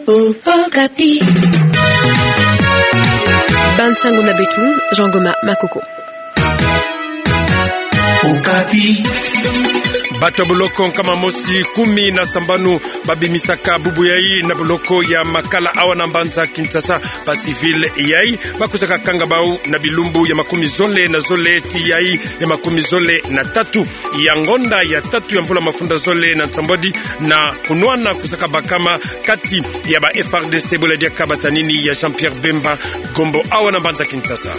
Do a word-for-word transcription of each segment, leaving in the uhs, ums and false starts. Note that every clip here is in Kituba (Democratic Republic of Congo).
Okapi. Bansango na beto, Jean Goma Makoko. Okapi. Bato ya boloko nkama mosi kumi na sambanu babimisaka bubu yai na boloko ya Makala awa na mbanza Kinshasa, ba civil yai bakusaka kanga bau na bilumbu ya makumi zole na zole tii yai ya makumi zole na tatu ya ngonda ya tatu ya mvula mafunda zole na nsambwadi, na kunwana kusaka bakama kati ya ba F R D C bwela diaka batanini ya Jean-Pierre Bemba Gombo awa na mbanza Kinshasa.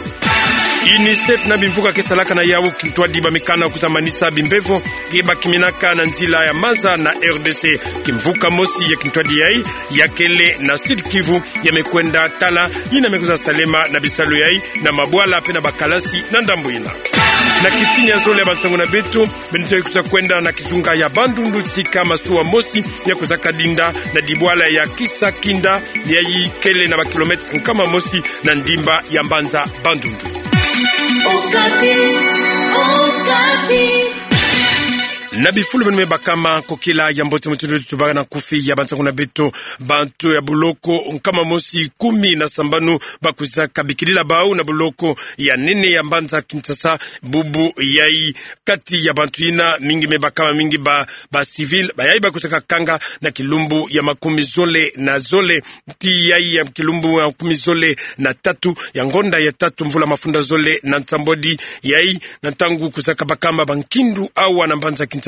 UNICEF na bimvuka ke salaka na yau kintwadi bamekana kuzamanisa bimbevo ke bakiminaka na nzila ya maza na R D C. Kimvuka mosi ya kintwadi yai ya kele na Sud-Kivu ya mekwenda tala yina mekuza salema na bisalu yai na mabwala mpe na bakalasi na ndambu yina. Na kitini ya zole ya bansango na beto, beno ta kuza kwenda na kizunga ya Bandundu tika masuwa mosi ya kuzaka dinda na dibwala ya Kisakinda, yai kele na ba kilomètre nkama mosi na ndimba ya mbanza Bandundu. Okapi, Okapi. Na bifulu beno me bakama, kokila ya mbote mutindu tubaka na nkufi ya bansango na beto. Bantu ya boloko nkama mosi kumi na sambanu bakuzaka bikilila bau na boloko ya nene ya mbanza Kinshasa bubu yai. Kati ya bantu yina, mingi me bakama, mingi ba, ba civil, bayai bakuzaka kanga na kilumbu ya makumi zole na zole tii yai ya kilumbu ya makumi zole na tatu ya ngonda ya tatu mvula mafunda zole na nsambwadi, yai na ntangu kuzaka bakama bankindu awa na mbanza Kinshasa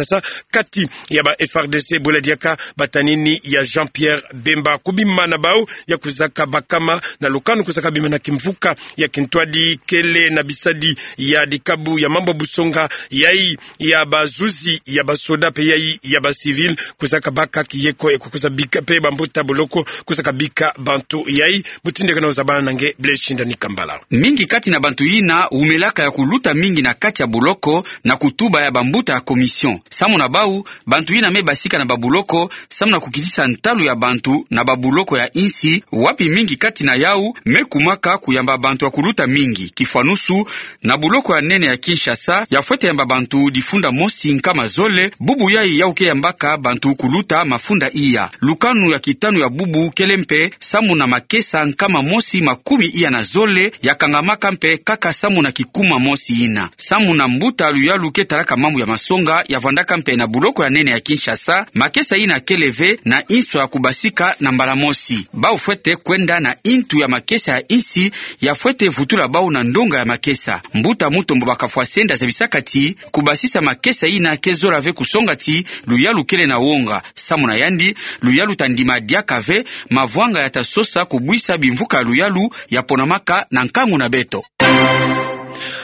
kati ya ba F R D C bwela diaka batanini ya Jean-Pierre Bemba. Kubima na bau ya kuzaka bakama na lukanu kuzaka bima na kimvuka ya kintwadi kele na bisadi ya dikabu ya mambu ya busonga, yai ya bazuzi ya basoda mpe yai ya ba civil kuzaka baka kiyeko ya kukuza bika mpe bambuta boloko kuzaka bika bantu yai. Mutindu ke na uzabana na nge Blaise Shindani Kambala. Mingi kati na bantu yina umelaka ya kuluta mingi na kati ya boloko na kutuba ya bambuta ya commission. Samu na bau, bantu yina me basika na babuloko samu na kukitisa ntalu ya bantu na babuloko ya insi, wapi mingi kati na yau me kumaka kuyamba bantu ya kuluta mingi. Kifwanusu, na buloko ya nene ya Kinshasa, ya fwete yamba bantu difunda mosi nkama zole, bubu yai yau ke yambaka bantu kuluta mafunda iya. Lukanu ya kitanu ya bubu kele mpe samu na makesa nkama mosi makumi iya na zole, ya kangamaka mpe kaka samu na kikuma mosi yina. Samu na mbuta luyalu ke talaka mambu ya masonga, ya vandaka mpe na buloko ya nene ya Kinshasa, makesa yina kele ve na inso ya kubasika na mbala mosi. Bau fwete kwenda na intu ya makesa ya insi, ya fwete vutula bau na ndonga ya makesa. Mbuta Mutombo Bakafwasenda zabisaka ti, kubasisa makesa yina ke zola ve kusonga ti luyalu kele na wonga. Samu na yandi, luyalu ta ndima diaka ve mavwanga ya ta sosa kubwisa bimvuka ya luyalu ya ponamaka na nkangu na beto.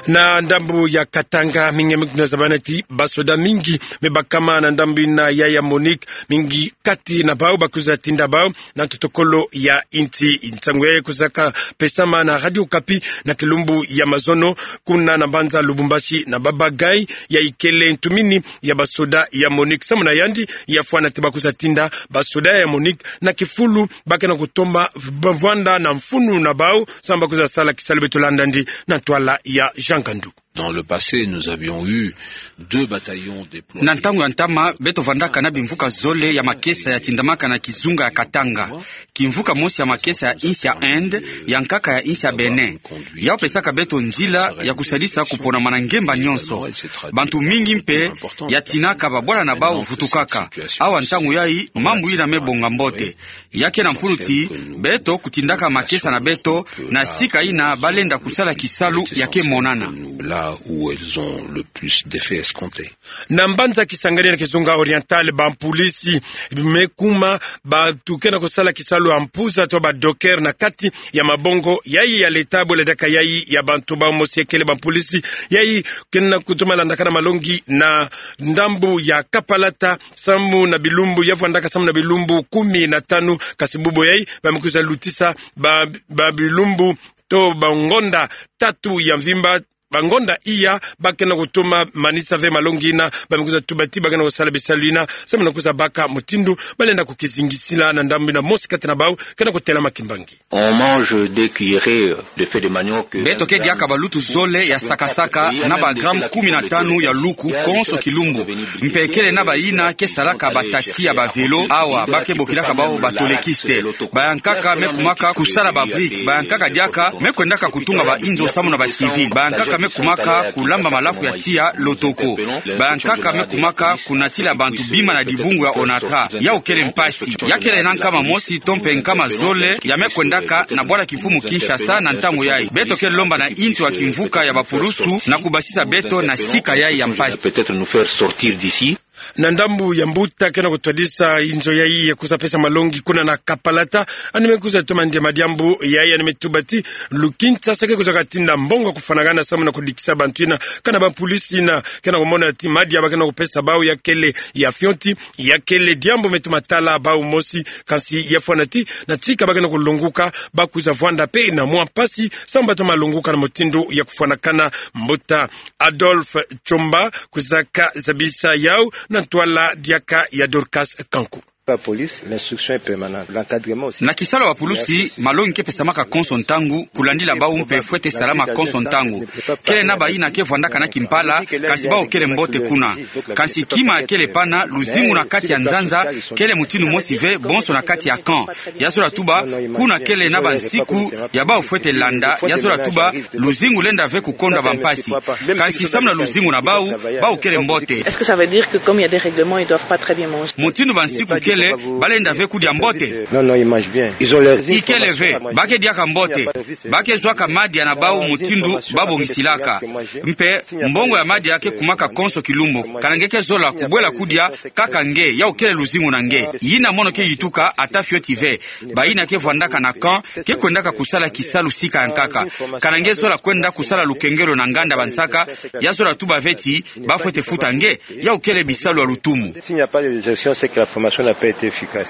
Na ndambu ya Katanga, mingi me kuna zabana ti basoda mingi me bakama na ndambu yina ya, ya MONUC, mingi kati na bau bakuza tinda bau na ntotokolo ya insi. Nsangu yai kuzaka pesama na Radio Okapi na kilumbu ya mazono kuna na mbanza Lubumbashi, na Baba Gaye, yai kele ntumini ya basoda ya MONUC. Samu na yandi, ya fwana ti bakuza tinda basoda ya MONUC na kifulu ba ke na kutoma vwanda na mfunu na bau samu bakuza sala kisalu. Beto landa yandi na ntwala ya Jean Gandu. Dans le passé, nous avions eu deux bataillons déployés. Na ntangu ya ntama, beto vandaka na bimvuka zole ya makesa ya tindamaka na kizunga ya Katanga. Kimvuka mosi ya makesa ya insi ya Inde, ya nkaka ya insi ya Bénin. Yau pesaka beto nzila ya kusadisa kuponama na ngemba nyonso. Bantu mingi mpe ya tinaka babwala na bau vutukaka. Awa ntangu yai, mambu yina me bonga mbote. Ya ke na mfunu ti beto kutindaka makesa na beto na sika yina ba lenda kusala kisalu ya ke monana. Là où elles ont le plus d'effets escomptés. Na mbanza Kisangani na kizunga Oriental, bampolisi me kuma bantu ke na kusala kisalu ya mpuza to ba docker na kati ya mabongo yai ya leta, bwela diaka yai ya bantu. Bau mosi ya kele bampolisi yai ke na kutoma landakana malongi na ndambu ya Kapalata, samu na bilumbu, ya vandaka samu na bilumbu kumi na tanu, kasi bubu yai ba me kuza lutisa ba, ba bilumbu to bangonda tatu ya mvimba, bangonda iya, ba kena kutuma manisa ve malongi ina, ba me kwiza tuba ti ba kena kusala bisalu ina, samu na kwiza baka mutindu ba lenda kukizingisila na ndambu ina mosi kati na bau kena kutelama kimbangi. On mange deux cuillerées de feu de manioc. Beto ke diaka balutu zole ya saka-saka na ba gramme kumi na tanu ya luku konso kilumbu. Mpe kele na bayina ke salaka ba taxi ya ba vélo, awa ba ke bokilaka bau ba tolekiste. Bayankaka me kumaka kusala ba briques. Bayankaka diaka me kwendaka kutunga ba inzo samu na ba civils. Bayankaka me kumaka kulamba malafu ya tiya lotoko. Bayankaka me kumaka kunatila bantu bima na dibungu ya Onatra. Yau kele mpasi. Ya kele na nkama mosi to mpe nkama zole ya me kwendaka na bwala kimfumu Kinshasa na ntangu yai. Beto ke lomba na intu ya kimvuka ya bapulusu na kubasisa beto na sika yai ya mpasi. Peut-être nous faire sortir d'ici. Na ndambu ya mbuta kena kutwadisa inzo yai ya kwiza pesa malongi kuna na Kapalata, yandi me kwiza toma ndia madiambu yai, yandi me tuba ti lu Kinshasa ke kwiza katinda mbongo kufwanakana samu na kudikisa bantu ina, kana bapolisi ina kena kumona ti madia ba kena kupesa bau ya kele ya fioti, ya kele diambu me tuma tala bau mosi, kansi ya fwana ti na tika ba kena kulonguka, ba kwiza vwanda mpe na mwa mpasi, samu ba toma longuka na mutindu ya kufwanakana. Mbuta Adolphe Tshomba kwizaka zabisa yau na ntwala diaka ya Dorcas Kanku. La police, l'instruction est permanente. L'encadrement aussi. Na kisalu ya bapulusi, malongi ke pesamaka konso ntangu, kulandila bau mpe fwete salama konso ntangu. Kele na bayina ke vwandaka na kimpala, kansi bau kele mbote kuna. Kansi kima kele pana, luzingu na kati ya nzanza kele mutindu mosi ve, bonso na kati ya camp. Ya zola tuba, kuna kele na bansiku ya bau fwete landa, ya zola tuba, luzingu lenda ve kukondwa bampasi. Kansi samu na luzingu na bau, bau kele mbote. Est-ce que ça veut dire que comme il y a des règlements, ils doivent pas très bien manger? Mutindu bansiku kele, ba lenda ve kudia mbote? Non, non, ils mangent bien. Ils ont les... Ikele ve, ba ke diaka mbote. Ba ke zwaka madia na bau mutindu ba bongisilaka. Mpe mbongo ya madia ke kumaka konso kilumbu. Kana nge ke zola kubwela kudia, kaka nge, yau kele luzingu na nge. Yina mono ke yituka ata fioti ve. Bayina ke vwandaka na camp ke kwendaka kusala kisalu sika ya nkaka. Kana nge zola kwenda kusala lukengelo na nganda bansaka, ya zola tuba ve ti ba fwete futa nge, yau kele bisalu ya lutumu. S'il n'y a pas de gestion, c'est que la formation n'a pas été efficace.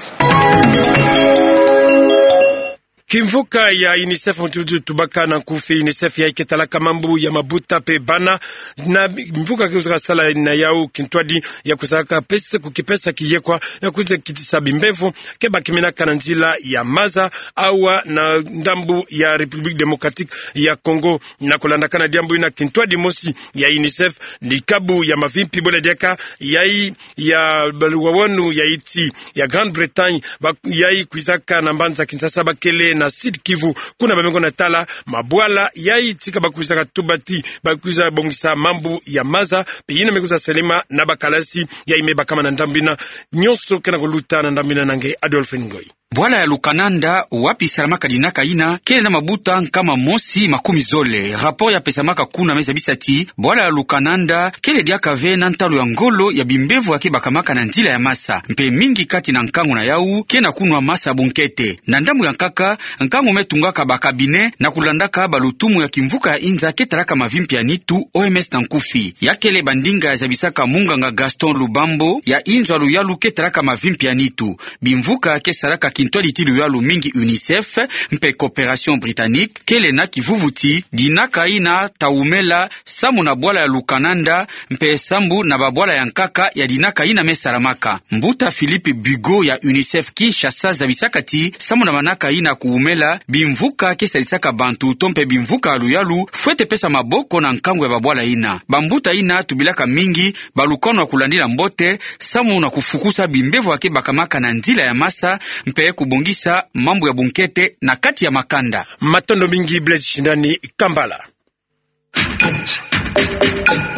Kimvuka ya UNICEF, mutindu tubaka na nkufi, UNICEF yai ke talaka mambu ya mabuta mpe bana, na mvuka ke kwizaka sala na yau kintwadi ya kwizaka pesa, kukipesa kiyekwa ya kwiza kitisa bimbevo ke bakiminaka na nzila ya maza, awa na ndambu ya République Démocratique ya Congo. Na kulandakana diambu ina, kintwadi mosi ya UNICEF, ni kabu ya mavimpi bole diaka yai ya baluwawanu ya nti ya Grande-Bretagne, ba yai kwizaka na mbanza Kinshasa, ba kele na Sud-Kivu, kuna ba me ngonda tala mabwala yai tika ba kwizaka tuba ti ba kwiza bongisa mambu ya maza, mpe yina me kwiza salama na bakalasi yai me bakama na ndambu ina. Nyonso kena kuluta na ndambu ina na nge Adolphe Ngoyi. Bwala ya Lukananda, wapi salamaka dinaka ina, kele na mabuta nkama mosi makumi zole. Rapport ya pesamaka kuna me zabisa ti bwala ya Lukananda kele diaka ve na ntalu ya ngolo ya bimbevo ya ke bakamaka na nzila ya masa. Mpe mingi kati na nkangu na yau ke na kunwa masa bunkete. Na ndambu ya nkaka, nkangu me tungaka ba cabinet na kulandaka balutumu ya kimvuka ya inza ke talaka mavimpi ya nitu, O M S na nkufi. Ya kele bandinga ya zabisaka munganga Gaston Lubambo ya inzo ya luyalu ke talaka mavimpi ya nitu. Bimvuka ke salaka kintwadi ti luyalu mingi, UNICEF mpe Coopération Britannique, kele na kivuvu ti dinaka ina ta wumela samu na bwala ya Lukananda, mpe sambu na babwala ya nkaka ya dinaka ina me salamaka. Mbuta Philippe Bugo ya UNICEF Kinshasa zabisaka ti samu na manaka ina kuwumela, bimvuka ke salisaka bantu to mpe bimvuka ya luyalu fwete pesa maboko na nkangu ya babwala ina. Bambuta ina tubilaka mingi balukanu ya kulandila mbote, samu na kufukusa bimbevo ya ke bakamaka na nzila ya masa, mpe kubongisa mambu ya bunkete na kati ya makanda. Matondo mingi, Blaise Shindani, Kambala.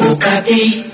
Okapi.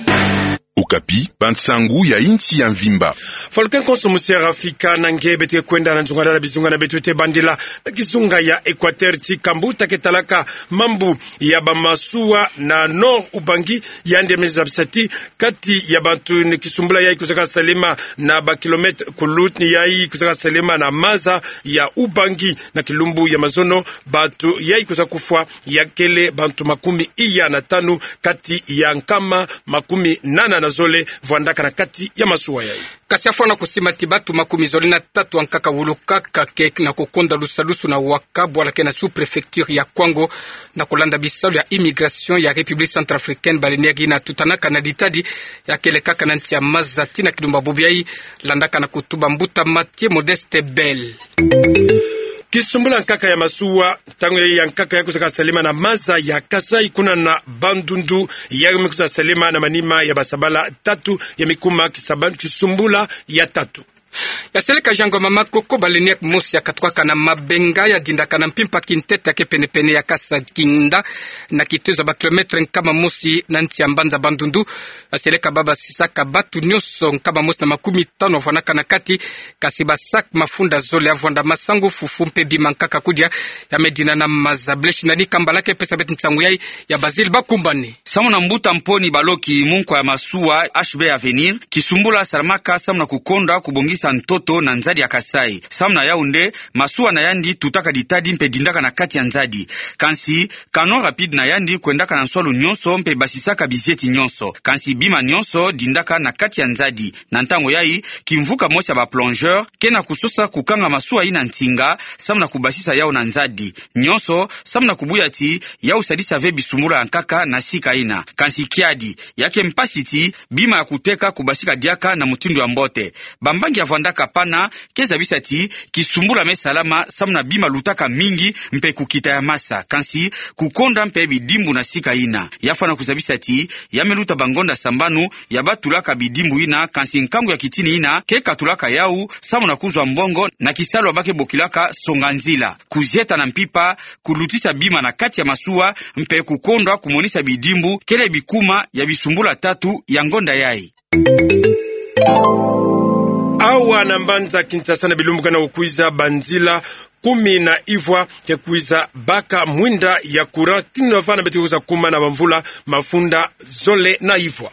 Okapi, bansangu ya insi ya mvimba. Fuluke nkonso musi ya Afrika, na nge beto ke kwenda na nzungalala bizunga na beto, beto ke bandila na kizunga ya Équateur, ti kambuta ke talaka mambu ya bamasuwa na Nord Ubangi, yandi me zabisa ti kati ya bantu ni kisumbula yai kwizaka salama na ba kilomètre kulutni yai kwizaka salama na maza ya Ubangi, na kilumbu ya mazono bantu yai kwiza kufwa ya kele bantu makumi iya na tanu kati ya nkama makumi nana na zole vwandaka na kati ya masuwa yayi. Kasi afwana kusimbati bantu makumi zole na tatu ankaka wulukaka ke na kukonda lusalusu na waka bwala ke na sous-préfecture ya Kwango, na kulanda bisalu ya immigration ya République centrafricaine, baleneaki na tutanaka na ditadi ya kelekaka na nsi ya maza tii na kilumbu bubu yayi, landaka na kutuba mbuta Mathieu Modeste Bell. Kisumbula nkaka ya masuwa, ntangu yayi ya nkaka ya kwiza kasalema na maza ya Kasaï kuna na Bandundu, ya me kwiza salema na manima ya basabala tatu ya me kuma kisaba-, kisumbula ya tatu. Ya seleka Jean Ngoma Makoko, baleneaki mosi ya katukaka na mabenga ya dindaka na mpimpa kintete ya ke penepene ya Kasaï Kinda, na kitezo ya ba kilomètre nkama mosi na nsi ya mbanza Bandundu. Ya seleka baba basisaka bantu nyonso nkama mosi na makumi tanu wavwanaka na kati, kasi ba sac mafunda zole ya vwanda masangu, fufu mpe bima nkaka kudia ya me dina na maza. Blaise Ndani Kambala ke pesa beto nsangu yayi ya Basile Bakumbane. Samu na mbuta Mponi Baloki, munkwa ya masuwa H B Avenir, kisumbula salamaka samu na kukonda kubongisa ntoto na nzadi ya Kasaï. Samu na yau nde, masuwa na yandi tutaka ditadi mpe dindaka na kati ya nzadi. Kansi, canoë rapide na yandi kwendaka na nswalu nyonso mpe basisaka bizieti nyonso. Kansi bima nyonso dindaka na kati ya nzadi. Na ntangu yayi, kimvuka mosi ya ba plongeurs ke na kusosa kukanga masuwa yina nsinga, samu na kubasisa yau na nzadi. Nyonso samu na kubuya ti yau sadisa ve bisumbula ya nkaka na sika yina. Kansi kiadi, ya ke mpasi ti bima ya kuteka kubasika diaka na mutindu ya mbote. Bambangi ya vwandaka pana ke zabisa ti kisumbula me salama samu na bima lutaka mingi mpe kukita ya masa. Kansi kukonda mpe bidimbu na sika yina. Ya fwana kuzabisa ti ya me luta bangonda sambanu ya batulaka bidimbu yina, kansi nkangu ya kitini yina ke katulaka yau samu na kuzwa mbongo na kisalu ya ba ke bokilaka songa-nzila. Kuzieta na mpimpa, kulutisa bima na kati ya masuwa, mpe kukonda kumonisa bidimbu kele bikuma ya bisumbula tatu ya ngonda yayi. Awa na mbanza Kinshasa na bilumbu kena kukwiza, banzila kumi na ivwa ke kwiza baka mwinda ya courant, tii na vana beto ke kwiza kuma na bamvula mafunda zole na ivwa.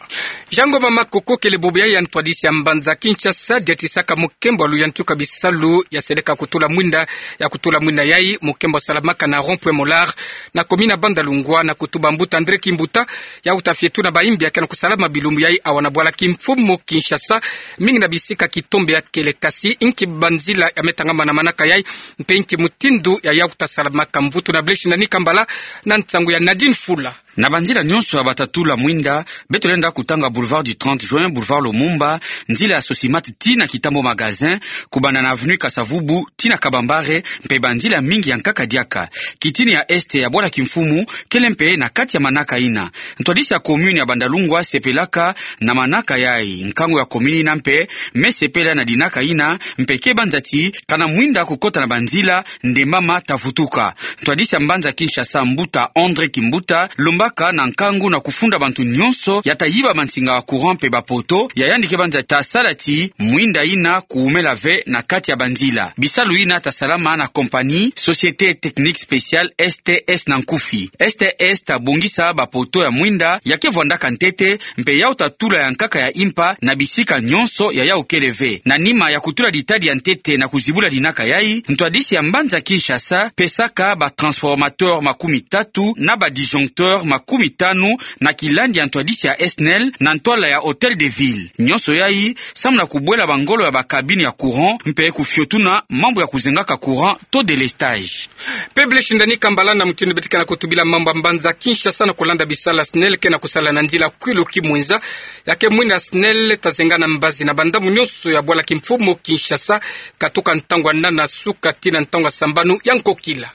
Jean Ngoma Makoko kele bubu yayi ya ntwadisi ya mbanza Kinshasa, diatisaka mukembo wa luyantika bisalu ya seleka kutula mwinda, ya kutula mwinda yayi, mukembo salamaka na rond-point Molar, na commune ya Bandalungwa, na kutuba mbuta André Kimbuta, yau ta fietuna bayimbi ya ke na kusalama bilumbu yayi awa na bwala kimfumu Kinshasa, mingi na bisika kitombe ya kele. Kasi inki banzila ya me tangama na manaka yayi, mpe inki mutindu ya yau ta salamaka? Mvutu na Blaise Ndani Kambala na nsangu ya Nadine Fula. Na banzila nyonso ya bata tula mwinda, beto lenda kutanga boulevard du trente juin, boulevard Lumumba, nzila ya Sosimat tii na Kitambo Magasin, kubanda na avenue Kasa-Vubu tii na Kabambare, mpe banzila mingi ya nkaka diaka. Kitini ya est ya bwala kimfumu kele mpe na kati ya manaka yina. Ntwadisi ya commune ya Bandalungwa sepelaka na manaka yayi. Nkangu ya commune yina mpe me sepela na dinaka yina, mpe ke banza ti kana mwinda kukota na banzila, nde mama ta vutuka. Ntwadisi ya mbanza Kinshasa, mbuta André Kimbuta, lombaka na nkangu na kufunda bantu nyonso ya ta yiba mansinga ya courant mpe bapoto ya yandi ke banza ta sala ti mwinda yina kuumela ve na kati ya banzila. Bisalu yina ta salama na compagnie Société Technique Spéciale, S T S na nkufi. S T S ta bongisa bapoto ya mwinda ya ke vwandaka ntete, mpe yau ta tula ya nkaka ya impa na bisika nyonso ya yau kele ve. Na nima ya kutula ditadi ya ntete na kuzibula dinaka yayi, ntwadisi ya mbanza Kinshasa pesaka ba transformateur makumi tatu na ba disjoncteur makumi tanu na kilandi ya ntwadisi ya SNEL na ntwala ya Hôtel de Ville. Nyonso yayi samu na kubwela bangolo ya ba cabine ya courant mpe kufiotuna mambu ya kuzengaka courant to délestage. Mpe Blaise Ndani Kambala, na mutindu beto ke na kutubila mambu ya mbanza Kinshasa, na kulanda bisalu ya SNEL ke na kusala na nzila Kwilu Kimwenza, ya ke mwinda SNEL ta zenga na mbazi na bandambu nyonso ya bwala kimfumu Kinshasa, katuka ntangu ya nana suka tii na ntangu ya sambanu ya nkokila.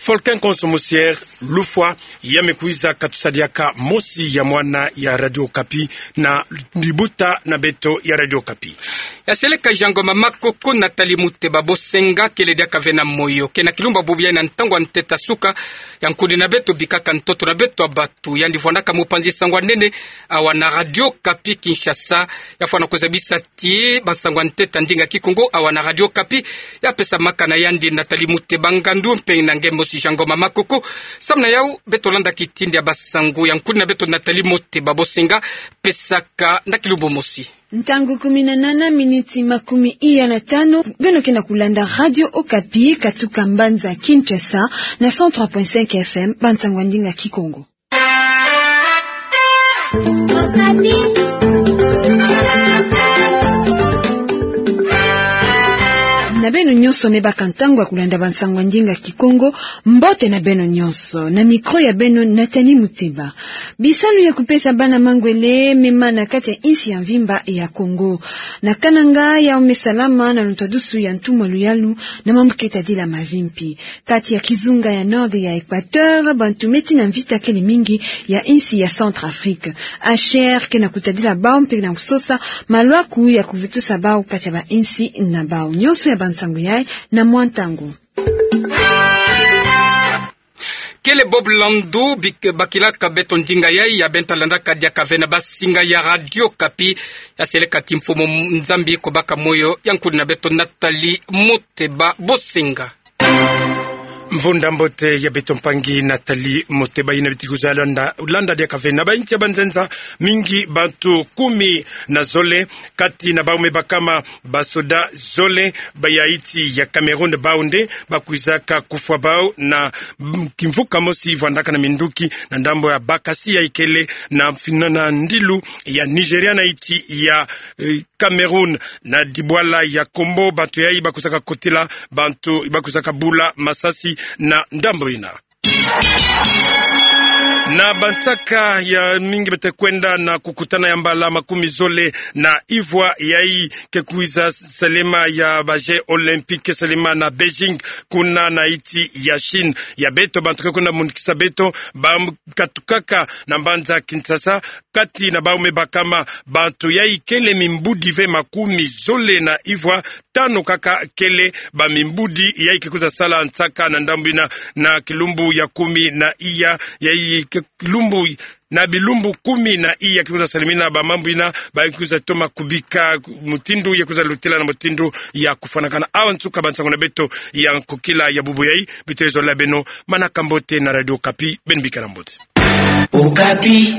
Volcan Konso Musiere, lufwa, ya me kwiza katusa diaka mosi ya mwana ya Radio Okapi na libuta na beto ya Radio Okapi. Ya seleka Jean Ngoma Makoko, Nathalie Muteba Bosenga kele diaka ve na moyo. Ke na kilumbu bubu yayi na ntangu ya ntete ya suka, ya nkuni na beto bikaka ntoto na beto ya batu. Yandi vwandaka mupanzi sango ya nene awa na Radio Okapi Kinshasa. Ya fwana kuzabisa ti bansango ya ntete ya ndinga Kikongo awa na Radio Okapi ya pesamaka na yandi Nathalie Muteba Ngandu mpe na nge mosi Jean Ngoma Makoko. Samu na yau, beto landa kitindi ya bansango ya nkuni na beto Nathalie Muteba Bosenga pesaka na kilumbu mosi. Ntangu kumi na nana, miniti makumi iya na tanu, beno ke na kulanda Radio Okapi, katuka mbanza Kinshasa, na cent trois point cinq F M, bansango ya ndinga Kikongo. Na beno nyonso me baka ntangu ya kulanda bansangu ya ndinga Kikongo, mbote na beno nyonso. Na micro ya beno, Nathalie Muteba. Bisalu ya kupesa bana mangwele me ma na kati ya insi ya mvimba ya Kongo. Na Kananga, yau me salama na lontadusu ya ntumwa luyalu na mambu ke tadila mavimpi. Kati ya kizunga ya Nord ya Equateur, bantu me tina mvita kele mingi ya insi ya Centrafrique. H C R ke na kutadila bau mpe na kusosa malwaku ya kuvitusa bau kati ya bainsi na bau. Nyonso ya bansangu yai na mwa ntangu. Kele Bob Landu bik-, bakilaka beto ndinga yai ya bento landaka diaka ve na basinga ya Radio Okapi. Ya seleka kimfumu, Nzambi kobaka moyo ya nkudi na beto. Nathalie Muteba, bosinga. Mvunda mbote ya beto mpangi Nathalie Muteba. Yina bitikuza landa, landa diaka ve na bainsi ya banzenza mingi, bantu kumi na zole, kati na bau me bakama basoda zole ba ya insi ya Cameroun, bau nde bakwizaka kufwa bau na, mm, kimvuka mosi vwandaka na minduki na ndambo ya bakasi ya ikele na fina na ndilu ya Nigeria na insi ya, eh, Cameroun. Na dibwala ya Kombo, bantu yai bakwizaka kotila, bantu bakwizaka bula masasi na ndambo yina. Na bansaka ya mingi bete kwenda na kukutana ya mbala makumi zole na ivwa yai ke kwiza salema ya ba Jeux Olympiques salema na Beijing, kuna na insi ya Chine. Ya beto bantu ke kwenda mundikisa beto, bakatukaka na mbanza Kinshasa, kati na bau me bakama bantu yai kele mimbudi ve makumi zole na ivwa, tanu kaka kele bamimbudi yai ke kwiza sala nsaka na ndambu yina, na kilumbu ya kumi na iya, yai ke lumbu, na bilumbu kumi na iya ke kwiza salemina bamambu yina, ba kwiza toma kubika mutindu ya kwiza lutila na mutindu ya kufwanakana. Awa nsuka bansangu na beto ya nkokila ya bubu yai. Beto zola beno manaka mbote na Radio Okapi, beno bikala mbote. Okapi.